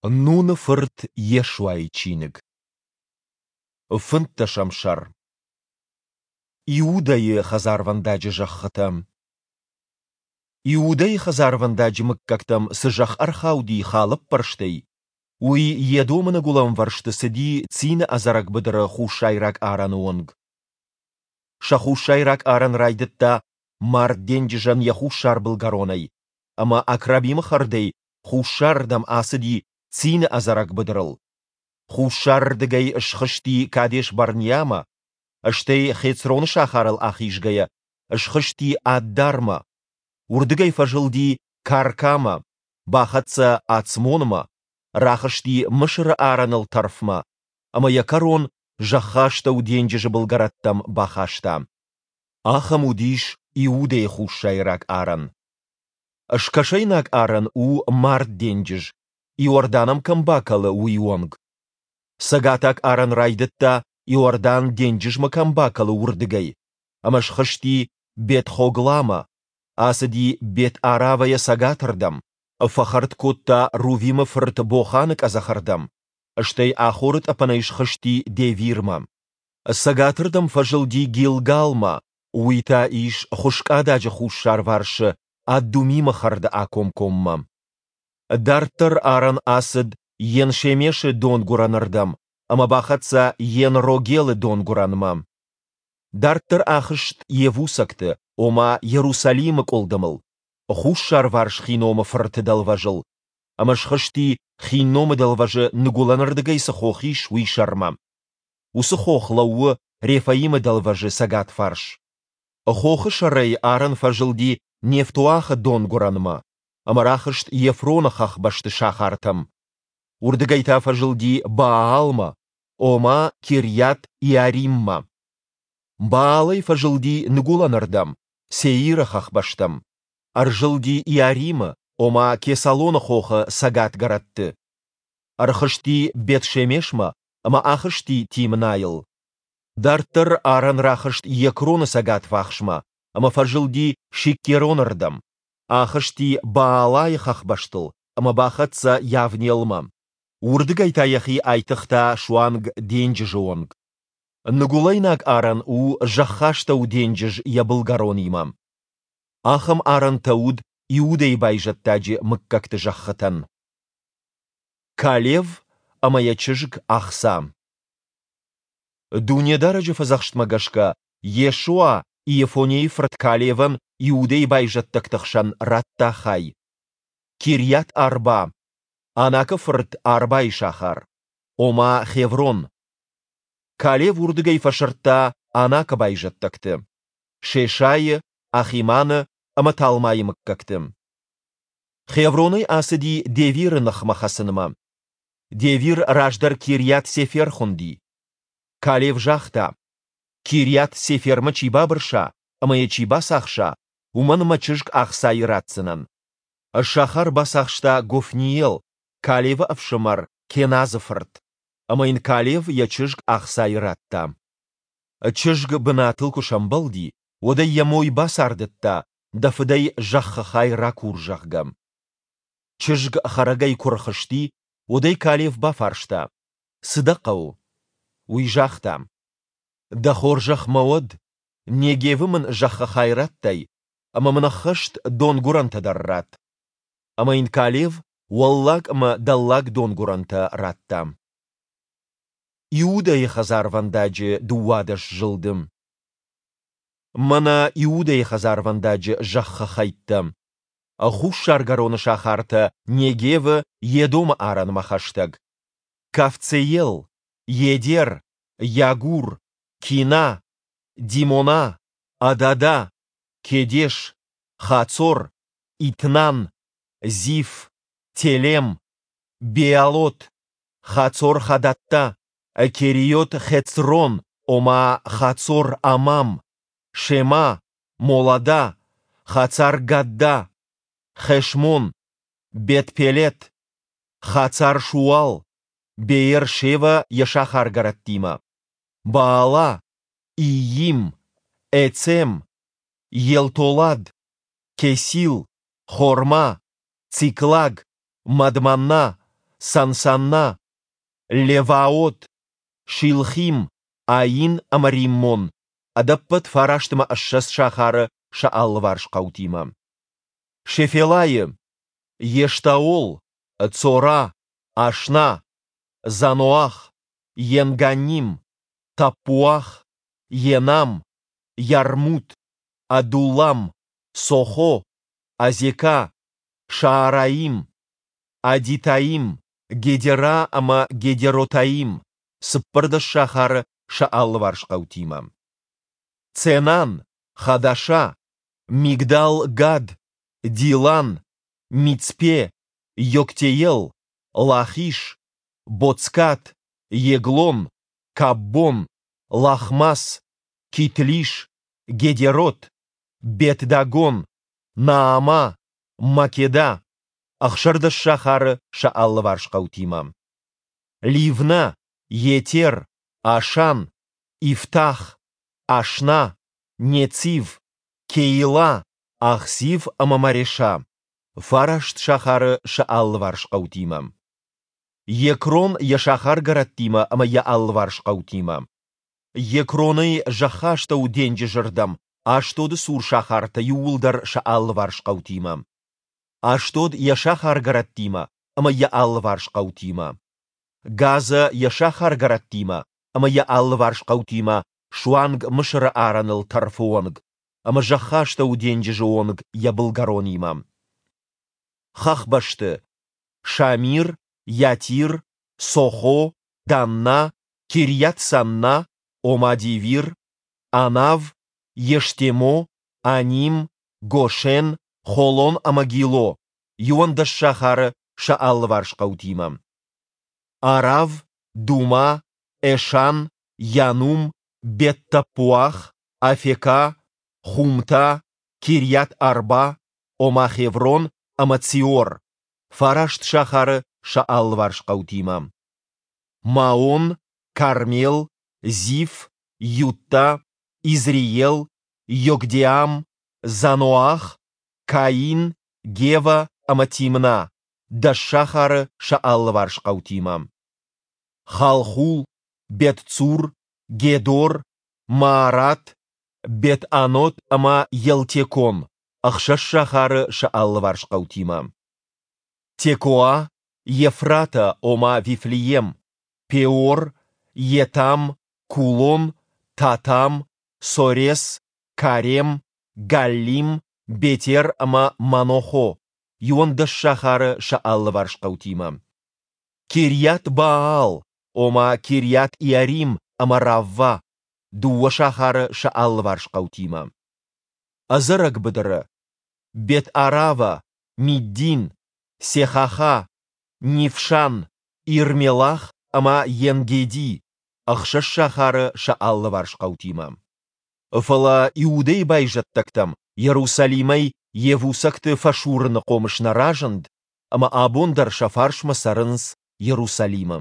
Нуны фырт Йешуайы чиныг. Фынддӕсӕм сӕр. Иудӕйы хӕдзарвӕндаджы зӕххытӕ. Иудӕйы хӕдзарвӕндаджы мыггӕгтӕм цы зӕхх ӕрхауди халӕппӕрстӕй, уый Едомы ныгуылӕнвӕрсты цыди Цины ӕдзӕрӕг быдыры хуссайраг арӕны онг. Сӕ хуссайраг арӕн райдыдта Мард денджызӕн йӕ хуссар былгӕронӕй ӕмӕ Акрабимы хӕрдӕй хуссарырдӕм ацыди Цины ӕдзӕрӕг быдырыл. Хуссарырдыгӕй схызти Кадес-Барниамӕ, стӕй Хецроны сахарыл ахизгӕйӕ, схызти Аддармӕ, уырдыгӕй фӕзылди Каркамӕ, бахӕццӕ Ацмонмӕ, рахызти Мысыры арӕныл тӕрфмӕ ӕмӕ йӕ кӕрон Зӕххастӕу денджызы былгӕрӕттӕм бахаста. Ахӕм уыдис Иудӕйы хуссайраг арӕн. Скӕсӕйнаг арӕн у Мард денджыз, Иордан ӕм кӕм бакӕлы, уый онг. Цӕгатаг арӕн райдыдта, Иордан денджызмӕ кӕм бакӕлы, уырдыгӕй, ӕмӕ схызти Бет-Хогламӕ, ацыди Бет-Аравӕйӕ цӕгатырдӕм, фӕхӕрд кодта Рувимы фырт Боханы къӕдзӕхырдӕм, стӕй Ахоры тъӕпӕнӕй схызти Девирмӕ. Цӕгатырдӕм фӕзылди Гилгалмӕ, уый та ис Хуыскъададжы хуссарварсы Аддумимы хӕрды акомкоммӕ. Дарддӕр арӕн ацыд Ен-Шемешы донгуырӕнырдӕм ӕмӕ бахӕццӕ Ен-Рогелы донгуырӕнмӕ. Дарддӕр ахызт Йевусӕгты, ома Иерусалимы къуылдымыл, хуссарварс Хиномы фырты дӕлвӕзыл, ӕмӕ схызти Хинномы дӕлвӕзы ныгуылӕнырдыгӕй цы хох ис, уый сӕрмӕ. Уыцы хох лӕууы Рефаимы дӕлвӕзы цӕгатварс. Хохы сӕрӕй арӕн фӕзылди Нефтоахы донгуырӕнмӕ ӕмӕ рахызт Ефроны хӕхбӕсты сахартӕм. Уырдыгӕй та фӕзылди Баалмӕ, ома Кирйат-Иариммӕ. Баалӕй фӕзылди ныгуылӕнырдӕм, Сеиры хӕхбӕстӕм. Ӕрзылди Иаримы, ома Кесалоны хохы цӕгатгӕрӕтты. Ӕрхызти Бет-Шемешмӕ ӕмӕ ахызти Тимнайыл. Дарддӕр арӕн рахызт Екроны цӕгатварсмӕ ӕмӕ фӕзылди Шиккероны рдӕм, ахызти Баалайы хӕхбӕстыл ӕмӕ бахӕццӕ Йавнелмӕ. Уырдыгӕй та йӕхи айтыгъта суанг денджызы онг. Ныгуылӕйнаг арӕн у Зӕххастӕу денджыз йӕ былгӕронимӕ. Ахӕм арӕнтӕ уыд Иудӕйы байзӕддаджы мыггӕгты зӕххытӕн. Калев ӕмӕ йӕ чызг Ахса. Дунедарӕджы фӕдзӕхстмӕ гӕсгӕ Йешуа Иефонейы фырт Калевӕн Иудӕйы байзӕддӕгты хсӕн радта хай. Кирйат-Арба, Анакы фырт Арбайы сахар, ома Хеврон. Калев уырдыгӕй фӕсырдта Анакы байзӕддӕгты, Шешайы, Ахиманы ӕмӕ Талмайы мыггӕгты. Хевронӕй ацыди Девиры ныхмӕ хӕцынмӕ. Девир раздӕр Кирйат-Сефер хуынди. Калев загъта: Кирйат-Сефермӕ чи бабырса ӕмӕ йӕ чи бацахса, уымӕн мӕ чызг Ахсайы ратдзынӕн. Сахар бацахста Гофниел, Калевы ӕфсымӕр Кеназы фырт. Ӕмӕ йын Калев йӕ чызг Ахсайы радта. Чызг бынатыл куы сӕмбӕлди, уӕд ӕй йӕ мой бацардыдта, дӕ фыдӕй зӕххы хай ракур, зӕгъгӕ. Чызг хӕрӕгӕй куы рхызти, уӕд ӕй Калев бафарста, Цы дӕ хъӕуы? Уый загъта, Дӕ хорзӕх мӕ уӕд, Негевы мын зӕххы хай радтай, ӕмӕ мын ӕххӕст донгуырӕнтӕ дӕр ратт. Ӕмӕ йын Калев уӕллаг ӕмӕ дӕллаг донгуырӕнтӕ радта. Иудӕйы хӕдзарвӕндаджы 12 зылды. Мӕнӕ Иудӕйы хӕдзарвӕндаджы зӕххы хӕйттӕ. Хуссаргӕроны сахартӕ Негевы Едомы арӕнмӕ хӕстӕг. Кавцеел, Едер, Йагур, Кина, Димона, Адада, Кедеш, Хацор, Итнан, Зиф, Телем, Беалот, Хацор-Хадатта, Кериот-Хецрон, ома Хацор-Амам, Шема, Молада, Хацар-Гадда, Хешмон, Бет-Пелет, Хацар-Шуал, Беер-Шева йӕ сахаргӕрӕттимӕ, Баала, Иим, Эцем, Елтолад, Кесил, Хорма, Циклаг, Мадманна, Сансанна, Леваот, Шилхим, Аин ӕмӕ Риммон, ӕдӕппӕт 29 сахары сӕ алыварс хъӕутимӕ. Шефелайы, Ештаол, Цора, Ашна, Заноах, Енганним, Таппуах, Енам, Йармут, Адуллам, Сохо, Азекӕ, Шаараим, Адитаим, Гедерӕ ӕмӕ Гедеротаим, 14 сахары сӕ алыварс хъӕутимӕ. Ценан, Хадаша, Мигдал-Гад, Дилан, Мицпе, Йоктеел, Лахиш, Боцкат, Еглон, Каббон, Лахмас, Китлиш, Гедерот, Бет-Дагон, Наама, Македа, 16 сахары сӕ алыварс хъӕутимӕ. Ливнӕ, Етер, Ашан, Ифтах, Ашна, Нецив, Кеила, Ахзив ӕмӕ Мареша, фараст сахары сӕ алыварс хъӕутимӕ. Екрон йӕ сахаргӕрӕттимӕ ӕмӕ йӕ алыварс хъӕутимӕ. Екронӕй Зӕххастӕуы денджызы рдӕм Ашдоды цур сахартӕ иууылдӕр сӕ алыварс хъӕутимӕ. Ашдод йӕ сахаргӕрӕттимӕ ӕмӕ йӕ алыварс хъӕутимӕ. Газӕ йӕ сахаргӕрӕттимӕ ӕмӕ йӕ алыварс хъӕутимӕ суанг Мысыры арӕныл тӕрфы онг ӕмӕ Зӕххастӕуы денджызы онг йӕ былгӕронимӕ. Хӕхбӕсты Шамир, Йатир, Сохо, Данна, Кирйат-Санна, ома Девир, Анав, Ештемо, Аним, Гошен, Холон ӕмӕ Гило, 11 сахары сӕ алыварс хъӕутимӕ. Арав, Дума, Эшан, Янум, Бет-Таппуах, Афекӕ, Хумта, Кирйат-Арба, ома Хеврон ӕмӕ Циор, фараст сахары сӕ алыварс хъӕутимӕ. Маон, Кармел, Зиф, Ютта, Изреел, Йокдеам, Заноах, Каин, Гева ӕмӕ Тимна, 10 сахары сӕ алыварс хъӕутимӕ. Халхул, Бет-Цур, Гедор, Маарат, Бет-Анот ӕмӕ Елтекон, 6 сахары сӕ алыварс хъӕутимӕ. Текоа, Ефратӕ, ома Вифлеем, Пеор, Етам, Кулон, Татам, Сорес, Карем, Галлим, Бетер ӕмӕ Манохо, 11 сахары сӕ алыварс хъӕутимӕ. Кирйат-Баал, ома Кирйат-Иарим ӕмӕ Равва, 2 сахары сӕ алыварс хъӕутимӕ. Ӕдзӕрӕг быдыры Бет-Арава, Миддин, Сехаха, Нившан, Ирмелах ӕмӕ Енгеди, 6 сахары сӕ алыварс хъӕутимӕ. Фӕлӕ Иудӕйы байзӕддӕгтӕм Иерусалимӕй йевусӕгты фӕсурыны хъомыс нӕ разынд, ӕмӕ абон дӕр сӕ фарсмӕ цӕрынц Иерусалимы.